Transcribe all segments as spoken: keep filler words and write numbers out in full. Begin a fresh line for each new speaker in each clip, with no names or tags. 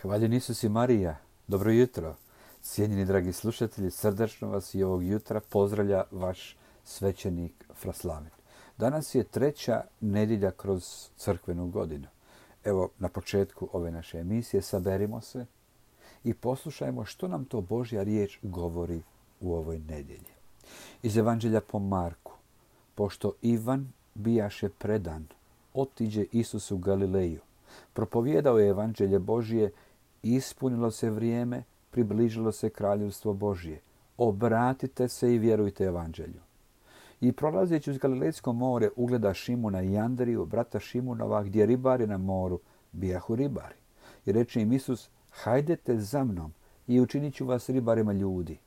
Hvaljen Isus i Marija, dobro jutro. Cijenjeni dragi slušatelji, srdačno vas i ovog jutra pozdravlja vaš svećenik Fraslavin. Danas je treća nedjelja kroz crkvenu godinu. Evo, na početku ove naše emisije saberimo se i poslušajmo što nam to Božja riječ govori u ovoj nedjelji. Iz Evanđelja po Marku. Pošto Ivan bijaše predan, otiđe Isus u Galileju. Propovijedao je Evanđelje Božije, ispunilo se vrijeme, približilo se kraljevstvo Božje. Obratite se i vjerujte Evanđelju. I prolazeći uz Galilejsko more ugleda Šimuna i Andriju, brata Šimunova, gdje ribari na moru bijahu ribari. I reče im Isus, hajdete za mnom i učinit ću vas ribarima ljudi.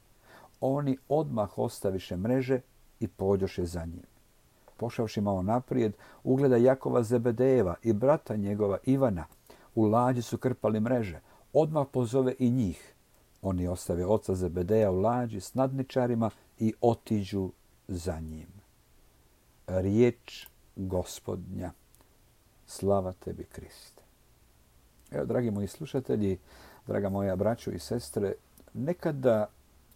Oni odmah ostaviše mreže i pođoše za njim. Pošavši malo naprijed, ugleda Jakova Zebedejeva i brata njegova Ivana. U lađi su krpali mreže. Odmah pozove i njih. Oni ostave oca Zebedeja u lađi s nadničarima i otiđu za njim. Riječ Gospodnja. Slava tebi, Kriste. Evo, dragi moji slušatelji, draga moja braćo i sestre, nekada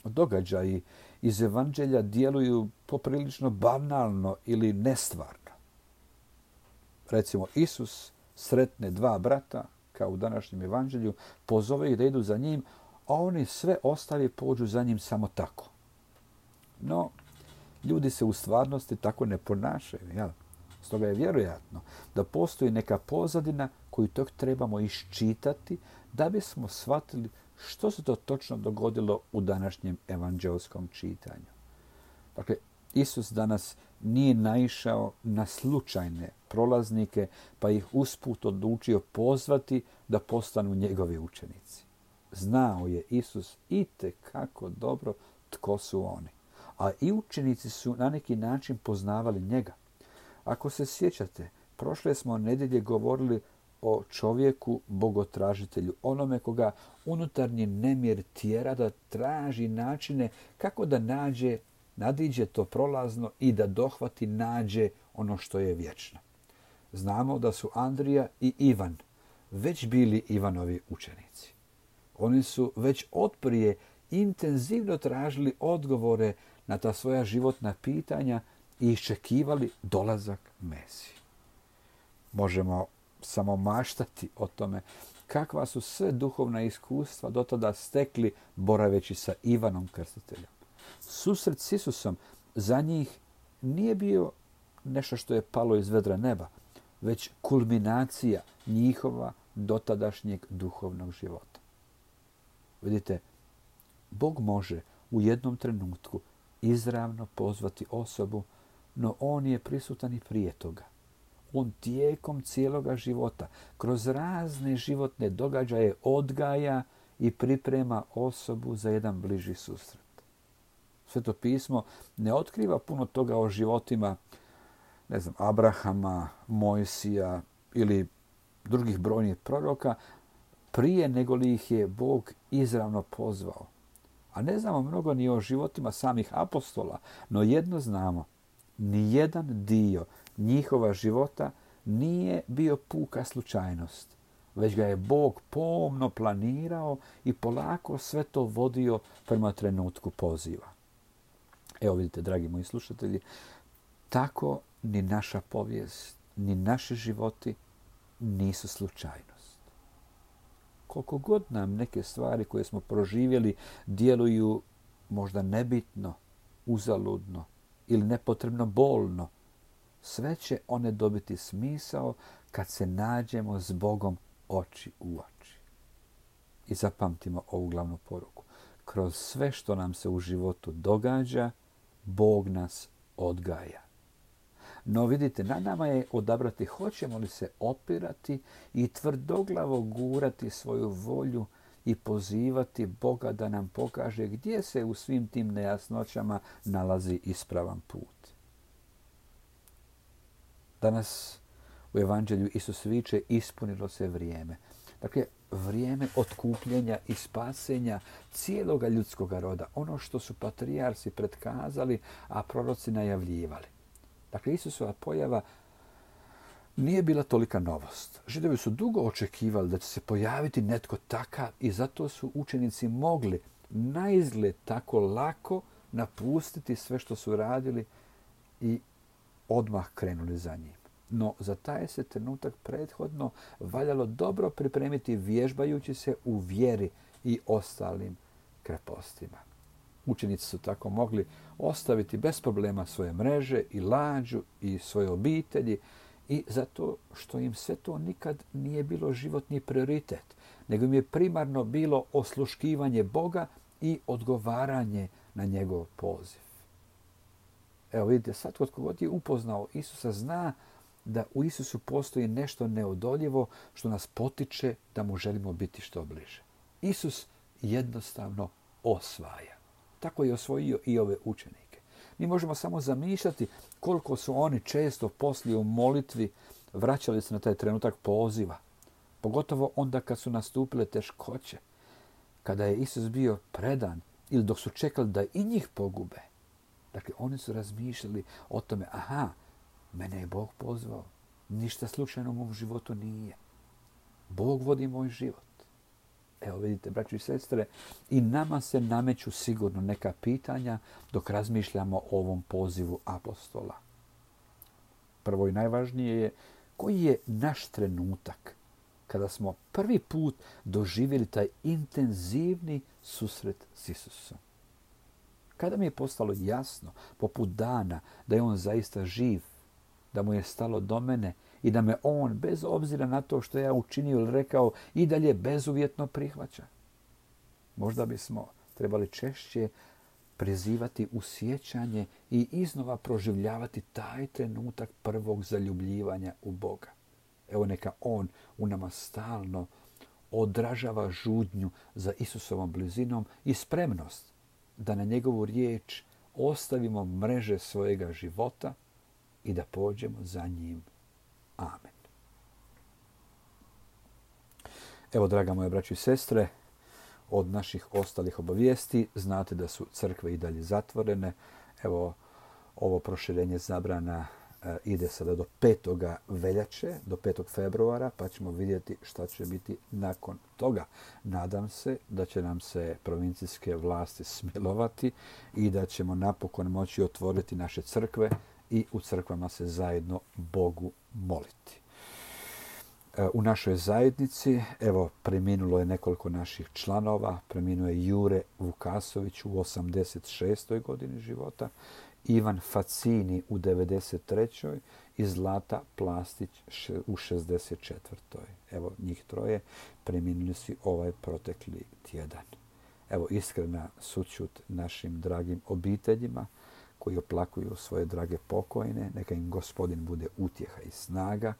događaji iz Evanđelja djeluju poprilično banalno ili nestvarno. Recimo, Isus sretne dva brata, kao u današnjem Evanđelju, pozove ih da idu za njim, a oni sve ostavi pođu za njim samo tako. No, ljudi se u stvarnosti tako ne ponašaju. Jel? Stoga je vjerojatno da postoji neka pozadina koju tog trebamo iščitati da bismo shvatili što se to točno dogodilo u današnjem evanđelskom čitanju. Dakle, Isus danas nije naišao na slučajne prolaznike, pa ih usput odlučio pozvati da postanu njegovi učenici. Znao je Isus itekako dobro tko su oni. A i učenici su na neki način poznavali njega. Ako se sjećate, prošle smo nedjelje govorili o čovjeku bogotražitelju, onome koga unutarnji nemir tjera da traži načine kako da nađe, nadiđe to prolazno i da dohvati, nađe ono što je vječno. Znamo da su Andrija i Ivan već bili Ivanovi učenici. Oni su već otprije intenzivno tražili odgovore na ta svoja životna pitanja i iščekivali dolazak Mesije. Možemo samo maštati o tome kakva su sve duhovna iskustva do tada stekli boraveći sa Ivanom Krstiteljem. Susret s Isusom za njih nije bio nešto što je palo iz vedra neba, već kulminacija njihova dotadašnjeg duhovnog života. Vidite, Bog može u jednom trenutku izravno pozvati osobu, no on je prisutan i prije toga. On tijekom cijeloga života, kroz razne životne događaje odgaja i priprema osobu za jedan bliži susret. Sveto pismo ne otkriva puno toga o životima, ne znam, Abrahama, Mojsija ili drugih brojnih proroka prije nego li ih je Bog izravno pozvao. A ne znamo mnogo ni o životima samih apostola, no jedno znamo, ni jedan dio njihova života nije bio puka slučajnost, već ga je Bog pomno planirao i polako sve to vodio prema trenutku poziva. Evo vidite, dragi moji slušatelji, tako ni naša povijest, ni naši životi nisu slučajnost. Koliko god nam neke stvari koje smo proživjeli djeluju možda nebitno, uzaludno ili nepotrebno bolno, sve će one dobiti smisao kad se nađemo s Bogom oči u oči. I zapamtimo ovu glavnu poruku. Kroz sve što nam se u životu događa, Bog nas odgaja. No vidite, na nama je odabrati hoćemo li se opirati i tvrdoglavo gurati svoju volju i pozivati Boga da nam pokaže gdje se u svim tim nejasnoćama nalazi ispravan put. Danas u Evanđelju Isus viče, ispunilo se vrijeme. Dakle, vrijeme otkupljenja i spasenja cijeloga ljudskoga roda. Ono što su patrijarsi predkazali, a proroci najavljivali. Dakle, Isusova pojava nije bila tolika novost. Židovi su dugo očekivali da će se pojaviti netko takav i zato su učenici mogli naizgled tako lako napustiti sve što su radili i odmah krenuli za njim. No, za taj se trenutak prethodno valjalo dobro pripremiti vježbajući se u vjeri i ostalim krepostima. Učenici su tako mogli ostaviti bez problema svoje mreže i lađu i svoje obitelji i zato što im sve to nikad nije bilo životni prioritet, nego im je primarno bilo osluškivanje Boga i odgovaranje na njegov poziv. Evo vidite, sad kod kogod je upoznao Isusa zna da u Isusu postoji nešto neodoljivo što nas potiče da mu želimo biti što bliže. Isus jednostavno osvaja. Tako je osvojio i ove učenike. Mi možemo samo zamišljati koliko su oni često poslije u molitvi vraćali se na taj trenutak poziva. Pogotovo onda kad su nastupile teškoće. Kada je Isus bio predan ili dok su čekali da i njih pogube. Dakle, oni su razmišljali o tome, aha, mene je Bog pozvao. Ništa slučajno u mom životu nije. Bog vodi moj život. Evo vidite, braći i sestre, i nama se nameću sigurno neka pitanja dok razmišljamo o ovom pozivu apostola. Prvo i najvažnije je koji je naš trenutak kada smo prvi put doživjeli taj intenzivni susret s Isusom. Kada mi je postalo jasno, poput dana, da je on zaista živ, da mu je stalo do mene i da me on, bez obzira na to što ja učinio ili rekao, i dalje bezuvjetno prihvaća. Možda bismo trebali češće prizivati u sjećanje i iznova proživljavati taj trenutak prvog zaljubljivanja u Boga. Evo neka on u nama stalno odražava žudnju za Isusovom blizinom i spremnost da na njegovu riječ ostavimo mreže svojega života i da pođemo za njim. Amen. Evo, draga moja braćo i sestre, od naših ostalih obavijesti znate da su crkve i dalje zatvorene. Evo, ovo proširenje zabrana e, ide sada do petoga veljače, do petog februara, pa ćemo vidjeti šta će biti nakon toga. Nadam se da će nam se provincijske vlasti smilovati i da ćemo napokon moći otvoriti naše crkve i u crkvama se zajedno Bogu moliti. U našoj zajednici, evo, preminulo je nekoliko naših članova. Preminuo je Jure Vukasović u osamdeset šestoj godini života, Ivan Facini u devedeset trećoj i Zlata Plastić u šezdeset četvrtoj Evo, njih troje preminuli su ovaj protekli tjedan. Evo, iskrena sućut našim dragim obiteljima koji oplakuju svoje drage pokojne. Neka im Gospodin bude utjeha i snaga,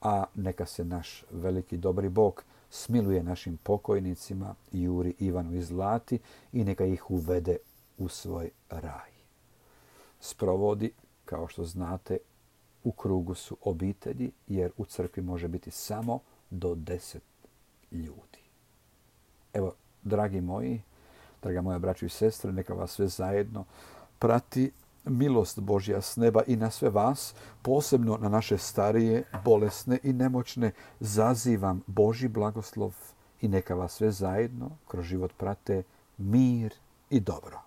a neka se naš veliki dobri Bog smiluje našim pokojnicima Juri, Ivanu i Zlati i neka ih uvede u svoj raj. Sprovodi, kao što znate, u krugu su obitelji, jer u crkvi može biti samo do deset ljudi. Evo, dragi moji, draga moja braćo i sestre, neka vas sve zajedno prati milost Božja s neba i na sve vas, posebno na naše starije, bolesne i nemoćne, zazivam Božji blagoslov i neka vas sve zajedno kroz život prate mir i dobro.